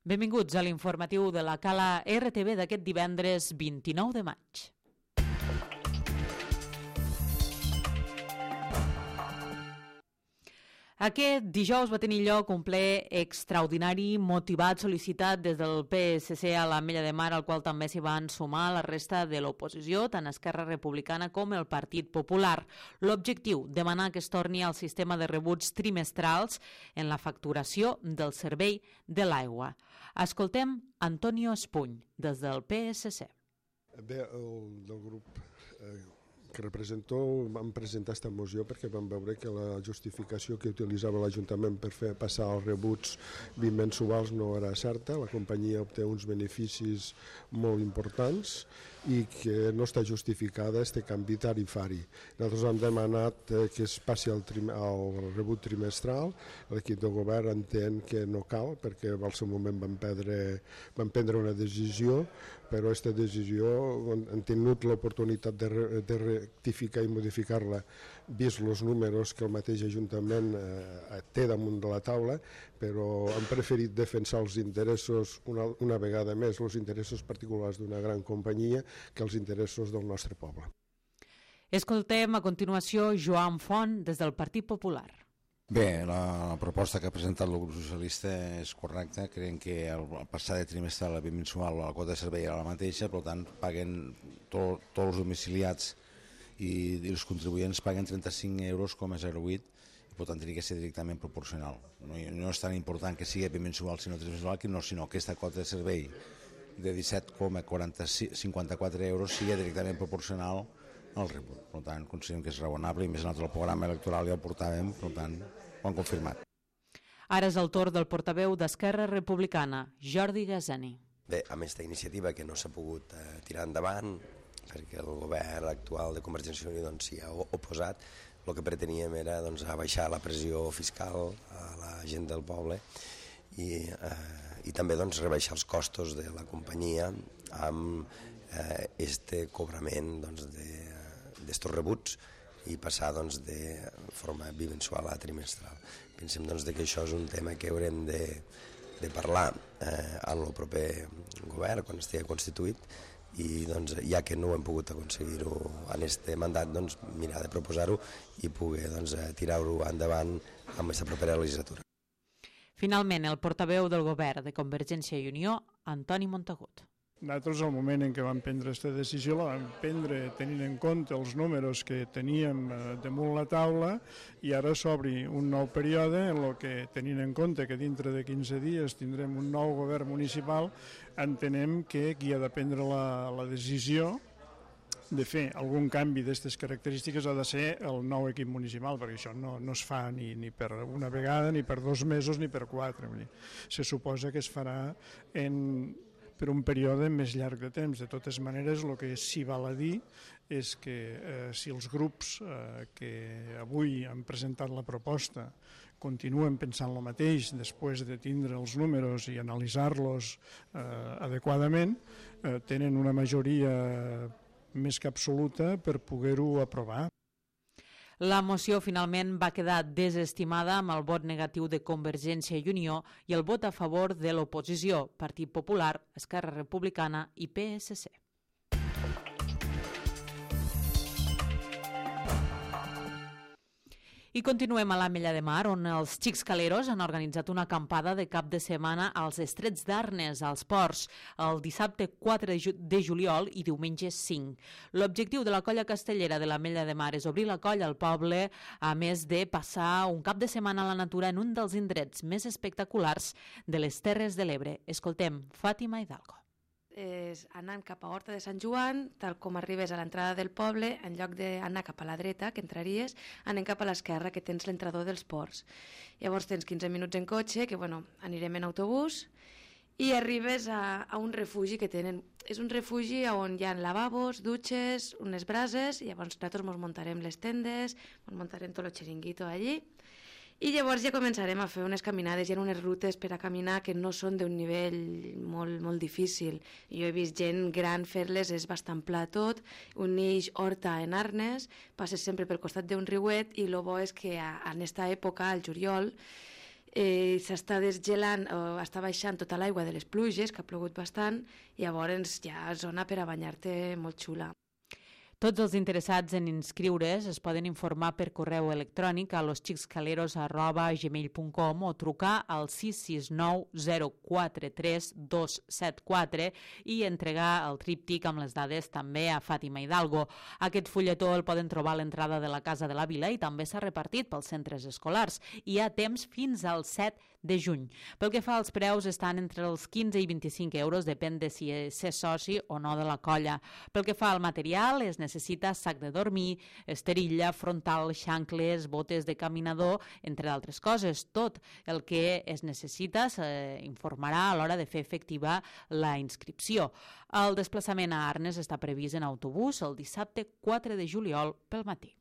Benvinguts a l'informatiu de la Cala RTV d'aquest divendres 29 de maig. Aquest dijous va tenir lloc un ple extraordinari, motivat, sol·licitat des del PSC a l'Ametlla de Mar, al qual també s'hi van sumar la resta de l'oposició, tant Esquerra Republicana com el Partit Popular. L'objectiu, demanar que es torni al sistema de rebuts trimestrals en la facturació del servei de l'aigua. Escoltem Antonio Espuny, des del PSC. Bé, el del grup que represento vam presentar aquesta moció perquè vam veure que la justificació que utilitzava l'Ajuntament per fer passar els rebuts bimensuals no era certa. La companyia obté uns beneficis molt importants i que no està justificada este canvi tarifari. Nosaltres hem demanat que es passi al rebut trimestral. L'equip de govern entén que no cal perquè al seu moment van prendre una decisió, però aquesta decisió han tingut l'oportunitat de rectificar i modificar-la vist els números que el mateix Ajuntament té damunt de la taula, però han preferit defensar els interessos una vegada més, els interessos particulars d'una gran companyia que els interessos del nostre poble. Escoltem a continuació Joan Font des del Partit Popular. Bé, la proposta que ha presentat el grup socialista és correcta. Creiem que el passar de trimestral a bimensual la quota de servei era la mateixa, per tant paguen tots els domiciliats i els contribuents paguen 35,08 €, i per tant hauria que ser directament proporcional. No és tan important que sigui bimensual sinó trimestral, sinó que aquesta quota de servei de 17,54 € sigui directament proporcional al rebut. Per tant, considerem que és raonable i més nosaltres el programa electoral ja el portàvem, per tant, ho han confirmat. Ara és el torn del portaveu d'Esquerra Republicana, Jordi Gazani. Bé, amb aquesta iniciativa que no s'ha pogut tirar endavant perquè el govern actual de Convergència i Unió s'hi ha oposat, el que preteníem era abaixar la pressió fiscal a la gent del poble i també rebaixar els costos de la companyia amb este cobrament d'estos rebuts i passar de forma bimensual a trimestral. Pensem que això és un tema que haurem de parlar en el proper govern quan estigui constituït i ja que no hem pogut aconseguir-ho en aquest mandat, mirar de proposar-ho i poder tirar-ho endavant amb aquesta propera legislatura. Finalment, el portaveu del govern de Convergència i Unió, Antoni Montagut. Nosaltres, al moment en què vam prendre aquesta decisió, la vam prendre tenint en compte els números que teníem damunt la taula i ara s'obri un nou període en el que, tenint en compte que dintre de 15 dies tindrem un nou govern municipal, entenem que qui ha de prendre la decisió de fer algun canvi d'aquestes característiques ha de ser el nou equip municipal, perquè això no es fa ni per una vegada, ni per 2 mesos, ni per 4. Se suposa que es farà per un període més llarg de temps. De totes maneres, el que s'hi val a dir és que si els grups que avui han presentat la proposta continuen pensant el mateix després de tindre els números i analitzar-los adequadament, tenen una majoria més que absoluta per poder-ho aprovar. La moció finalment va quedar desestimada amb el vot negatiu de Convergència i Unió i el vot a favor de l'oposició, Partit Popular, Esquerra Republicana i PSC. I continuem a l'Ametlla de Mar, on els Xics Caleros han organitzat una acampada de cap de setmana als Estrets d'Arnes, als ports, el dissabte 4 de juliol i diumenge 5. L'objectiu de la colla castellera de l'Ametlla de Mar és obrir la colla al poble, a més de passar un cap de setmana a la natura en un dels indrets més espectaculars de les Terres de l'Ebre. Escoltem Fàtima Hidalgo. Anant cap a Horta de Sant Joan, tal com arribes a l'entrada del poble, en lloc d'anar cap a la dreta, que entraries, anem cap a l'esquerra, que tens l'entrador dels ports. Llavors tens 15 minuts en cotxe, que anirem en autobús, i arribes a un refugi que tenen. És un refugi on hi ha lavabos, dutxes, unes brases, i llavors nosaltres ens muntarem les tendes, ens muntarem tot el xiringuito allí, i llavors ja començarem a fer unes caminades, hi ha unes rutes per a caminar que no són d'un nivell molt, molt difícil. Jo he vist gent gran fer-les, és bastant pla tot, uneix Horta en Arnes, passes sempre pel costat d'un riuet i el bo és que en aquesta època, al juliol, s'està desgelant, està baixant tota l'aigua de les pluges, que ha plogut bastant, i llavors hi ha zona per a banyar-te molt xula. Tots els interessats en inscriure's es poden informar per correu electrònic a losxicscaleros@gmail.com o trucar al 669 043 274 i entregar el tríptic amb les dades també a Fàtima Hidalgo. Aquest fulletó el poden trobar a l'entrada de la Casa de la Vila i també s'ha repartit pels centres escolars. Hi ha temps fins al 7 de juny. Pel que fa als preus, estan entre els 15 i 25 euros, depèn de si és soci o no de la colla. Pel que fa al material, es necessita sac de dormir, esterilla, frontal, xancles, botes de caminador, entre d'altres coses. Tot el que es necessita s'informarà a l'hora de fer efectiva la inscripció. El desplaçament a Arnes està previst en autobús el dissabte 4 de juliol pel matí.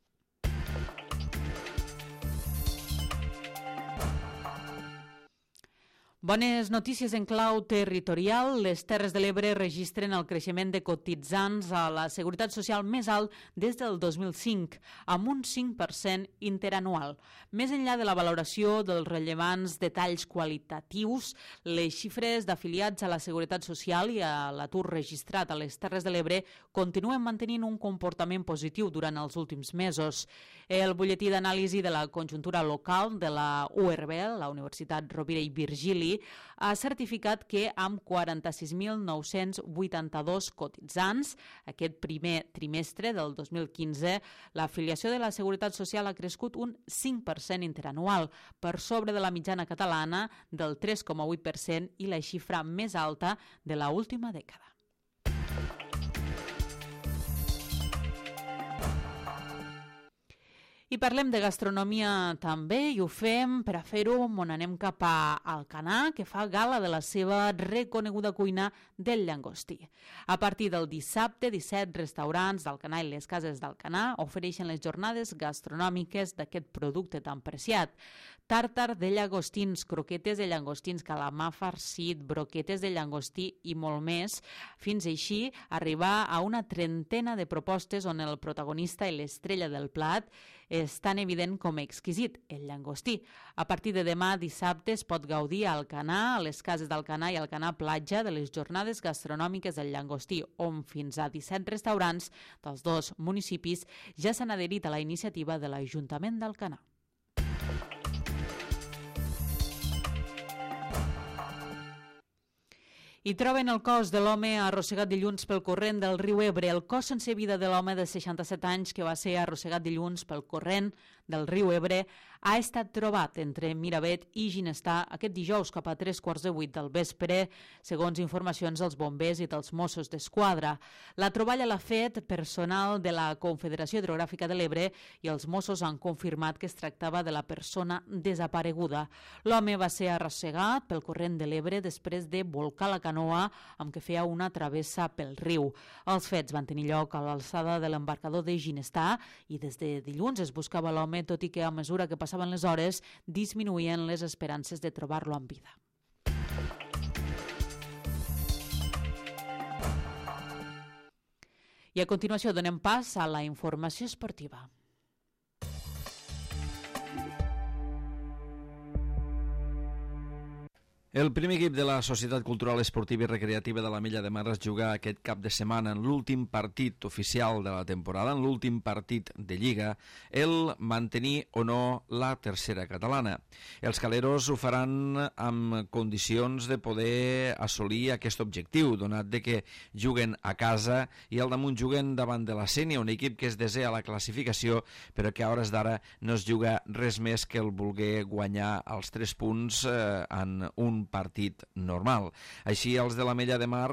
Bones notícies en clau territorial. Les Terres de l'Ebre registren el creixement de cotitzants a la Seguretat Social més alt des del 2005, amb un 5% interanual. Més enllà de la valoració dels rellevants detalls qualitatius, les xifres d'afiliats a la Seguretat Social i a l'atur registrat a les Terres de l'Ebre continuen mantenint un comportament positiu durant els últims mesos. El butlletí d'anàlisi de la conjuntura local de la URB, la Universitat Rovira i Virgili, ha certificat que amb 46.982 cotitzants, aquest primer trimestre del 2015, l'afiliació de la Seguretat Social ha crescut un 5% interanual, per sobre de la mitjana catalana del 3,8% i la xifra més alta de l'última dècada. I parlem de gastronomia també, i ho fem per a fer-ho on anem cap a Alcanar, que fa gala de la seva reconeguda cuina del llangostí. A partir del dissabte, 17 restaurants d'Alcanar i les cases d'Alcanar ofereixen les jornades gastronòmiques d'aquest producte tan preciat. Tàrtar de llagostins, croquetes de llagostins, calamar farcit, broquetes de llagostí i molt més, fins així arribar a una trentena de propostes on el protagonista i l'estrella del plat és tan evident com exquisit, el llangostí. A partir de demà, dissabte, es pot gaudir a Alcanar, a les cases d'Alcanar i Alcanar Platja, de les jornades gastronòmiques del llangostí, on fins a 17 restaurants dels dos municipis ja s'han adherit a la iniciativa de l'Ajuntament d'Alcanar. I troben el cos de l'home arrossegat dilluns pel corrent del riu Ebre. El cos sense vida de l'home de 67 anys que va ser arrossegat dilluns pel corrent del riu Ebre ha estat trobat entre Miravet i Ginestar aquest dijous cap a 7:45 del vespre, segons informacions dels bombers i dels Mossos d'Esquadra. La troballa l'ha fet personal de la Confederació Hidrogràfica de l'Ebre i els Mossos han confirmat que es tractava de la persona desapareguda. L'home va ser arrossegat pel corrent de l'Ebre després de volcar la canoa amb què feia una travessa pel riu. Els fets van tenir lloc a l'alçada de l'embarcador de Ginestar i des de dilluns es buscava l'home, tot i que a mesura que passaven les hores disminuïen les esperances de trobar-lo amb vida. I a continuació donem pas a la informació esportiva. El primer equip de la Societat Cultural Esportiva i Recreativa de l'Ametlla de Mar es juga aquest cap de setmana en l'últim partit oficial de la temporada, en l'últim partit de Lliga, el mantenir o no la tercera catalana. Els caleros ho faran amb condicions de poder assolir aquest objectiu, donat de que juguen a casa i al damunt juguen davant de la Sénia, un equip que es desea la classificació, però que a hores d'ara no es juga res més que el voler guanyar els 3 punts en un partit normal. Així, els de l'Ametlla de Mar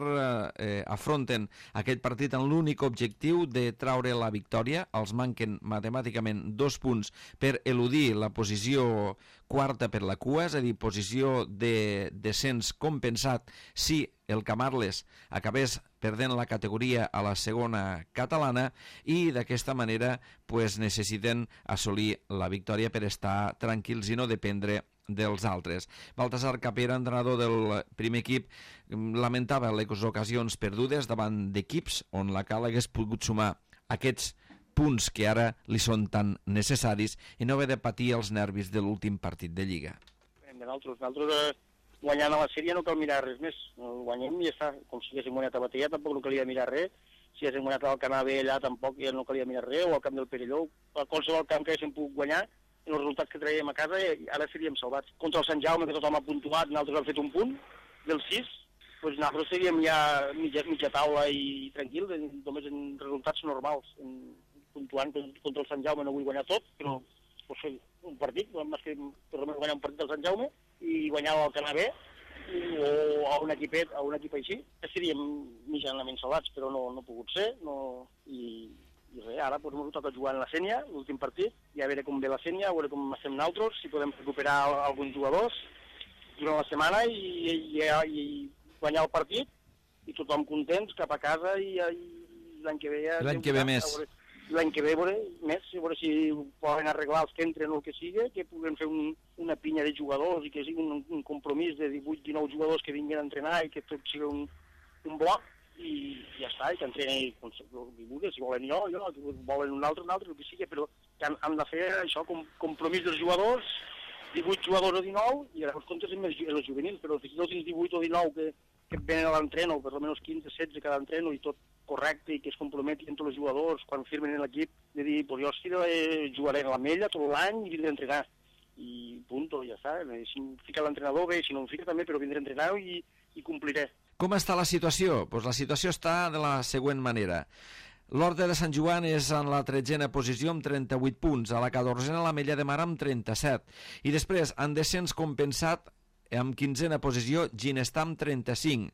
afronten aquest partit amb l'únic objectiu de traure la victòria. Els manquen matemàticament 2 punts per eludir la posició quarta per la cua, és a dir, posició de descens compensat si el Camarles acabés perdent la categoria a la segona catalana, i d'aquesta manera necessiten assolir la victòria per estar tranquils i no dependre dels altres. Baltasar Capera, entrenador del primer equip, lamentava les ocasions perdudes davant d'equips on la Cal hagués pogut sumar aquests punts que ara li són tan necessaris i no haver de patir els nervis de l'últim partit de Lliga. Nosaltres guanyant a la sèrie no cal mirar res més. Guanyem i ja està. Com si haguéssim guanyat a Batea tampoc no calia mirar res. Si haguéssim guanyat al Canà B allà tampoc ja no calia mirar res, o al camp del Perelló, a qualsevol camp que haguéssim pogut guanyar, i els resultats que traiem a casa ara seríem salvats. Contra el Sant Jaume, que tothom ha puntuat, nosaltres hem fet un punt del 6, doncs nosaltres seríem ja mitja taula i tranquil, només en resultats normals. Puntuant contra el Sant Jaume no vull guanyar tot, però pues, un partit, més que per almenys guanyar un partit del Sant Jaume i guanyar el Canà B, o a un equipet així, seríem mitjanament salvats, però no ha pogut ser, i res, ara doncs, ens toca jugar en la Sènia, l'últim partit, i a veure com ve la Sènia, a veure com estem nosaltres, si podem recuperar alguns jugadors durant la setmana i guanyar el partit, i tothom contents cap a casa, i l'any que ve ja... L'any que ve més. L'any que ve veure si poden arreglar els que entren o el que sigui, que puguem fer una pinya de jugadors i que sigui un compromís de 18-19 jugadors que vinguin a entrenar i que tot sigui un bloc, i ja està, i que entrenin si volen jo, si volen un altre, el que sigui, però que han de fer això, compromís dels jugadors, 18 jugadors o 19, i llavors comptes amb els juvenils, però si no tens 18 o 19 que venen a l'entreno, per almenys 15-16 cada entreno, i tot correcte, i que es comprometin tots els jugadors quan firmen en l'equip, de dir, pues jo jugaré a la Mella tot l'any i vindré a entrenar. I punto, ja està. Si em fica l'entrenador, bé, si no em fica també, però vindré a entrenar i compliré. Com està la situació? Pues la situació està de la següent manera. L'Horta de Sant Joan és en la 13a posició amb 38 punts, a la 14a la Mella de Mar amb 37, i després, en descens compensat, amb 15a posició, Ginestar amb 35.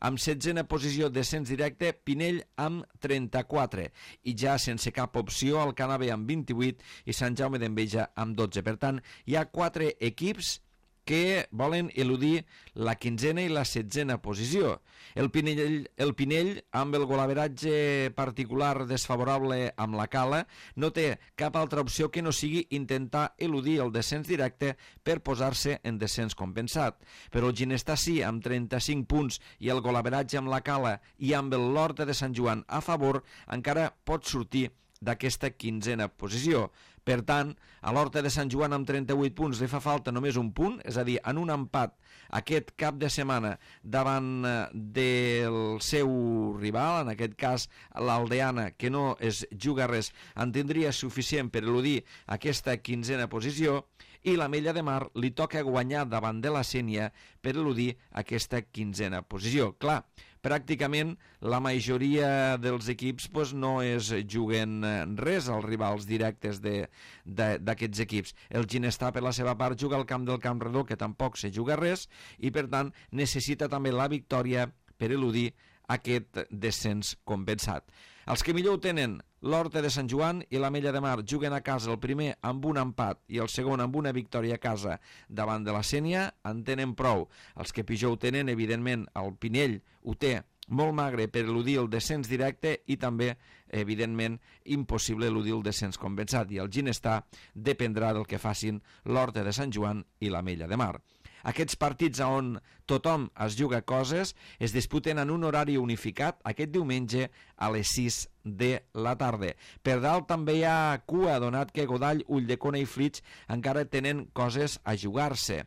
Amb 16a posició, descens directe, Pinell amb 34. I ja sense cap opció, el Canà B amb 28 i Sant Jaume d'Enveja amb 12. Per tant, hi ha 4 equips que volen eludir la 15a i la 16a posició. El Pinell, amb el golaveratge particular desfavorable amb la Cala, no té cap altra opció que no sigui intentar eludir el descens directe per posar-se en descens compensat. Però el Ginestar sí, amb 35 punts, i el golaveratge amb la Cala i amb l'Horta de Sant Joan a favor, encara pot sortir d'aquesta 15a posició. Per tant, a l'Horta de Sant Joan amb 38 punts li fa falta només un punt, és a dir, en un empat aquest cap de setmana davant del seu rival, en aquest cas l'Aldeana, que no es juga res, en tindria suficient per eludir aquesta 15a posició, i la Mella de Mar li toca guanyar davant de la Sénia per eludir aquesta 15a posició. Clar, pràcticament la majoria dels equips no es juguen res als rivals directes d'aquests equips. El Ginestar, per la seva part, juga al camp del Camp Redó, que tampoc se juga res, i per tant necessita també la victòria per eludir aquest descens compensat. Els que millor ho tenen, l'Horta de Sant Joan i la Mella de Mar, juguen a casa el primer amb un empat i el segon amb una victòria a casa davant de la Sénia, en tenen prou. Els que pitjor ho tenen, evidentment, el Pinell ho té molt magre per eludir el descens directe i també, evidentment, impossible eludir el descens compensat, i el Ginestar dependrà del que facin l'Horta de Sant Joan i la Mella de Mar. Aquests partits on tothom es juga coses es disputen en un horari unificat aquest diumenge a les 6 de la tarda. Per dalt també hi ha cua, donat que Godall, Ulldecona i Flix encara tenen coses a jugar-se.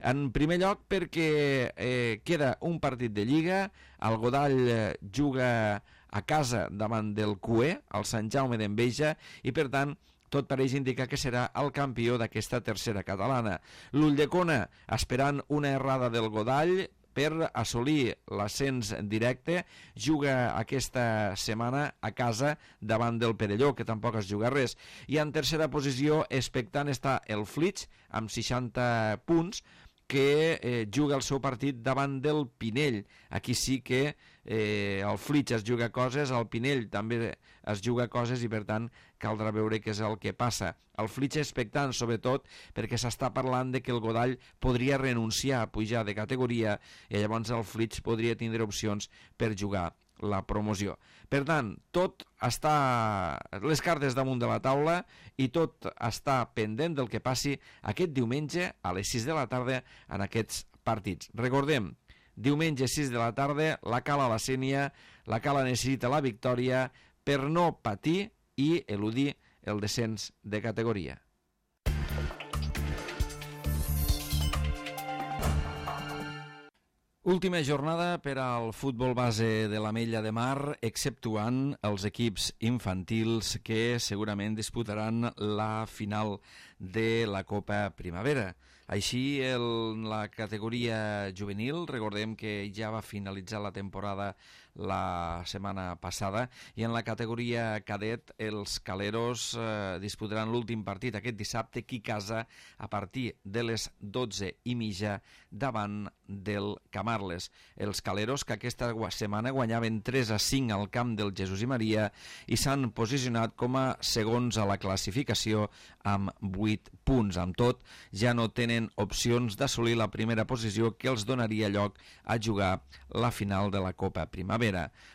En primer lloc perquè queda un partit de Lliga, el Godall juga a casa davant del CUE, el Sant Jaume d'Enveja, i per tant tot pareix indicar que serà el campió d'aquesta tercera catalana. L'Ulldecona, esperant una errada del Godall per assolir l'ascens directe, juga aquesta setmana a casa davant del Perelló, que tampoc es juga res. I en tercera posició, expectant, està el Flix, amb 60 punts, que juga el seu partit davant del Pinell. Aquí sí que el Flix es juga coses, el Pinell també es juga coses, i per tant caldrà veure què és el que passa. El Flix expectant, sobretot, perquè s'està parlant de que el Godall podria renunciar a pujar de categoria, i llavors el Flix podria tindre opcions per jugar la promoció. Per tant, tot està les cartes damunt de la taula i tot està pendent del que passi aquest diumenge a les 6 de la tarda en aquests partits. Recordem, diumenge 6 de la tarda, la Cala a la Sénia, la Cala necessita la victòria per no patir i eludir el descens de categoria. Última jornada per al futbol base de l'Ametlla de Mar, exceptuant els equips infantils que segurament disputaran la final de la Copa Primavera. Així, en la categoria juvenil, recordem que ja va finalitzar la temporada la setmana passada, i en la categoria cadet els Caleros disputaran l'últim partit aquest dissabte aquí a casa a partir de les 12:30 davant del Camarles. Els Caleros, que aquesta setmana guanyaven 3-5 al camp del Jesús i Maria i s'han posicionat com a segons a la classificació amb 8 punts. Amb tot, ja no tenen opcions d'assolir la primera posició que els donaria lloc a jugar la final de la Copa Primavera.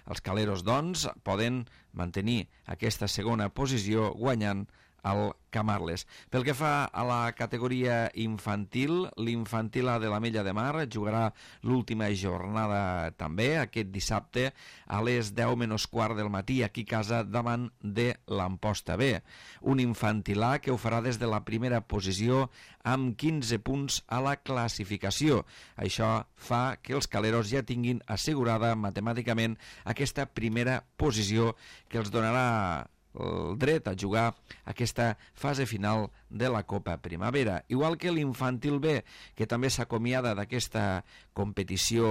Els Caleros, doncs, poden mantenir aquesta segona posició guanyant al Camarles. Pel que fa a la categoria infantil, l'infantil A de l'Ametlla de Mar jugarà l'última jornada també aquest dissabte a les 10:15 del matí aquí a casa davant de l'Amposta B. Un infantil A que ho farà des de la primera posició amb 15 punts a la classificació. Això fa que els Caleros ja tinguin assegurada matemàticament aquesta primera posició que els donarà el dret a jugar aquesta fase final de la Copa Primavera. Igual que l'infantil B, que també s'acomiada d'aquesta competició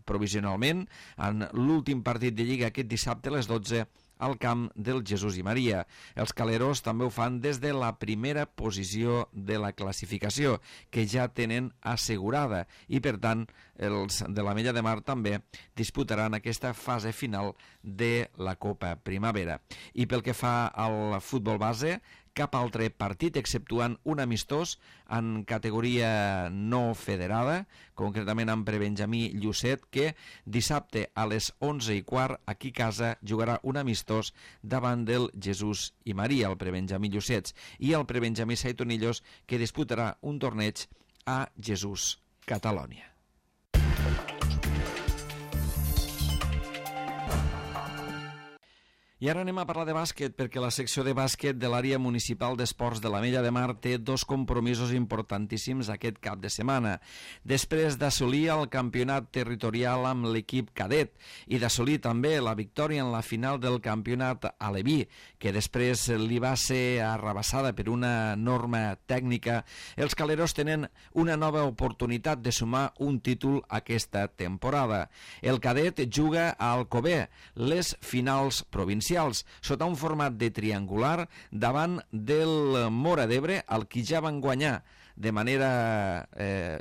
provisionalment en l'últim partit de Lliga aquest dissabte a les 12 al camp del Jesús i Maria. Els Caleros també ho fan des de la primera posició de la classificació, que ja tenen assegurada, i per tant els de l'Ametlla de Mar també disputaran aquesta fase final de la Copa Primavera. I pel que fa al futbol base, cap altre partit, exceptuant un amistós en categoria no federada, concretament amb prebenjamí Llucet, que dissabte a les 11:15 aquí a casa jugarà un amistós davant del Jesús i Maria, el prebenjamí Llucets, i el prebenjamí Saitonillos, que disputarà un torneig a Jesús, Catalònia. I ara anem a parlar de bàsquet, perquè la secció de bàsquet de l'àrea municipal d'esports de l'Ametlla de Mar té dos compromisos importantíssims aquest cap de setmana. Després d'assolir el campionat territorial amb l'equip cadet i d'assolir també la victòria en la final del campionat aleví, que després li va ser arrabassada per una norma tècnica, els Caleros tenen una nova oportunitat de sumar un títol aquesta temporada. El cadet juga a Alcover, les finals provincials, sota un format de triangular davant del Móra d'Ebre, el qui ja van guanyar de manera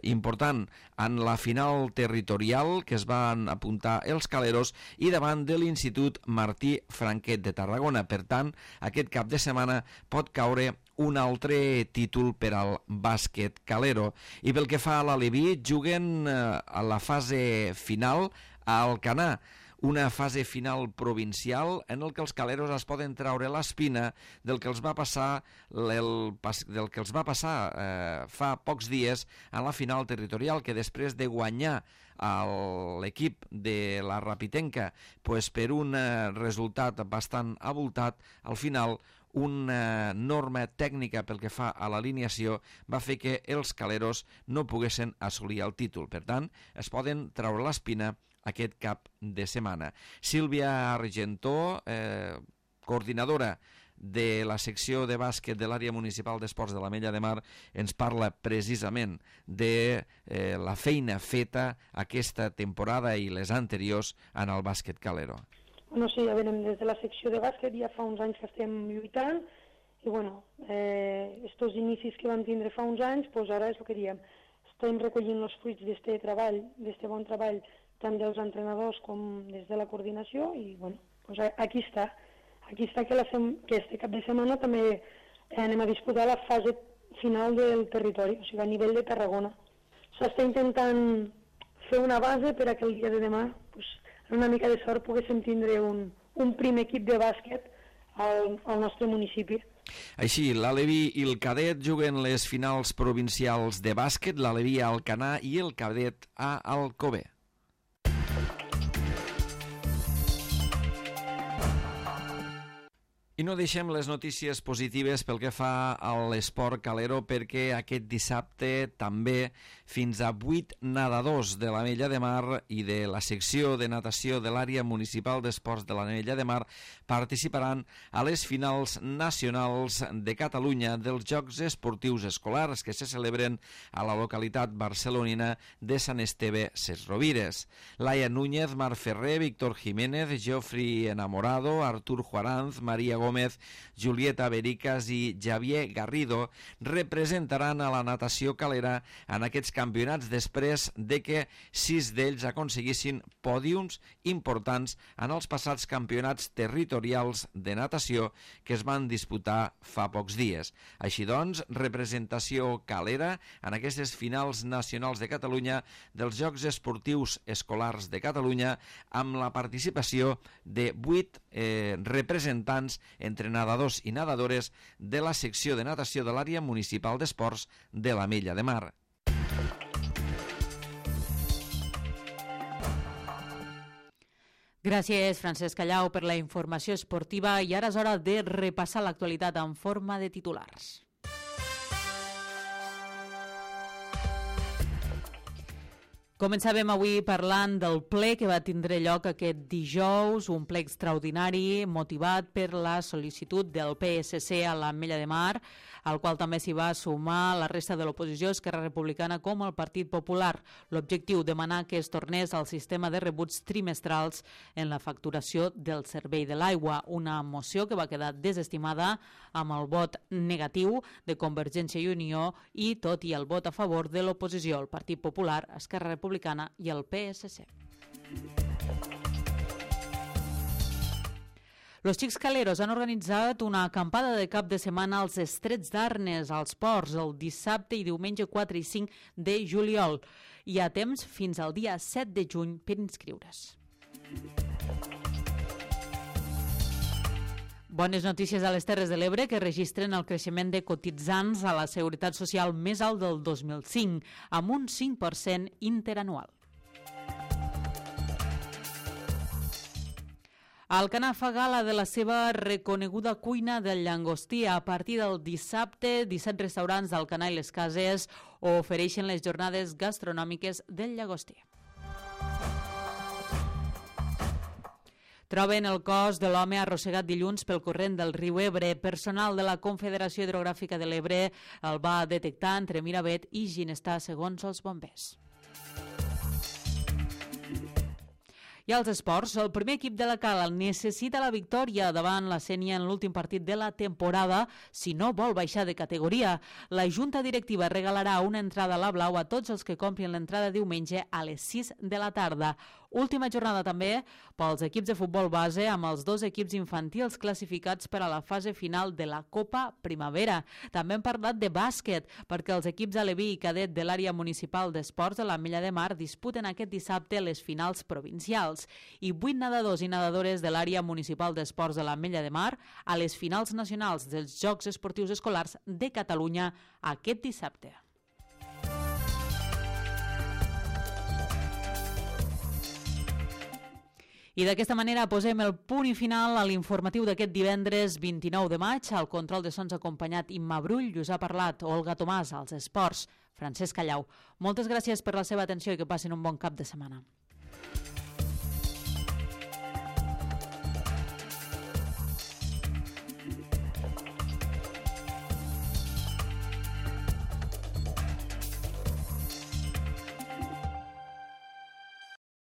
important en la final territorial que es van apuntar els Caleros, i davant de l'Institut Martí Franquet de Tarragona. Per tant, aquest cap de setmana pot caure un altre títol per al bàsquet calero. I pel que fa a l'Aleví, juguen a la fase final a Alcanar, una fase final provincial en el que els Caleros es poden traure l'espina del que els va passar fa pocs dies en la final territorial, que després de guanyar l'equip de la Rapitenca per un resultat bastant abultat, al final una norma tècnica pel que fa a l'alineació va fer que els Caleros no poguessin assolir el títol. Per tant, es poden treure l'espina aquest cap de setmana. Sílvia Argentó, coordinadora de la secció de bàsquet de l'àrea municipal d'esports de l'Ametlla de Mar, ens parla precisament de la feina feta aquesta temporada i les anteriors en el bàsquet calero. Bueno, sí, ja venim des de la secció de bàsquet, ja fa uns anys que estem lluitant, i bueno, estos inicis que vam tindre fa uns anys, doncs ara és el que diem, estem recollint els fruits d'este treball, d'este bon treball, tant dels entrenadors com des de la coordinació, i bueno, doncs aquí està que este cap de setmana també anem a disputar la fase final del territori, o sigui, a nivell de Tarragona. S'està intentant fer una base per a que el dia de demà, amb una mica de sort, poguéssim tindre un primer equip de bàsquet al nostre municipi. Així, l'Aleví i el cadet juguen les finals provincials de bàsquet, l'Aleví a Alcanar i el cadet a Alcover. I no deixem les notícies positives pel que fa a l'esport calero, perquè aquest dissabte també fins a 8 nedadors de l'Ametlla de Mar i de la secció de natació de l'àrea municipal d'esports de l'Ametlla de Mar participaran a les finals nacionals de Catalunya dels Jocs Esportius Escolars que se celebren a la localitat barcelonina de Sant Esteve Sesrovires. Laia Núñez, Marc Ferrer, Víctor Jiménez, Geoffrey Enamorado, Artur Juaranz, Maria Gómez, Julieta Bericas i Javier Garrido representaran a la natació calera en aquests campionats després de que 6 d'ells aconseguissin pòdiums importants en els passats campionats territorials de natació que es van disputar fa pocs dies. Així doncs, representació calera en aquestes finals nacionals de Catalunya dels Jocs Esportius Escolars de Catalunya amb la participació de 8 representants entre nedadors i nedadores de la secció de natació de l'àrea municipal d'esports de l'Ametlla de Mar. Gràcies, Francesc Callau, per la informació esportiva i ara és hora de repassar l'actualitat en forma de titulars. Començàvem avui parlant del ple que va tindre lloc aquest dijous, un ple extraordinari motivat per la sol·licitud del PSC a l'Ametlla de Mar, al qual també s'hi va sumar la resta de l'oposició, Esquerra Republicana com el Partit Popular. L'objectiu, demanar que es tornés al sistema de rebuts trimestrals en la facturació del servei de l'aigua, una moció que va quedar desestimada amb el vot negatiu de Convergència i Unió i tot i el vot a favor de l'oposició, el Partit Popular, Esquerra Republicana i el PSC. Los Xics Caleros han organitzat una acampada de cap de setmana als Estrets d'Arnes, als ports, el dissabte i diumenge 4 i 5 de juliol. Hi ha temps fins al dia 7 de juny per inscriure's. Bones notícies a les Terres de l'Ebre, que registren el creixement de cotitzants a la Seguretat Social més alt del 2005, amb un 5% interanual. Alcanar fa gala de la seva reconeguda cuina del llangostí. A partir del dissabte, 17 restaurants d'Alcanar i les Cases ofereixen les jornades gastronòmiques del llagostí. Troben el cos de l'home arrossegat dilluns pel corrent del riu Ebre. Personal de la Confederació Hidrogràfica de l'Ebre el va detectar entre Miravet i Ginestar, segons els bombers. I als esports, el primer equip de la Cala necessita la victòria davant la Sénia en l'últim partit de la temporada si no vol baixar de categoria. La Junta Directiva regalarà una entrada a la Blau a tots els que comprin l'entrada diumenge a les 6 de la tarda. Última jornada també pels equips de futbol base amb els 2 equips infantils classificats per a la fase final de la Copa Primavera. També hem parlat de bàsquet perquè els equips aleví i cadet de l'àrea municipal d'esports de l'Ametlla de Mar disputen aquest dissabte les finals provincials i 8 nedadors i nedadores de l'àrea municipal d'esports de l'Ametlla de Mar a les finals nacionals dels Jocs Esportius Escolars de Catalunya aquest dissabte. I d'aquesta manera posem el punt i final a l'informatiu d'aquest divendres 29 de maig. Al control de sons acompanyat Imma Brull, us ha parlat Olga Tomàs, als esports, Francesc Callau. Moltes gràcies per la seva atenció i que passin un bon cap de setmana.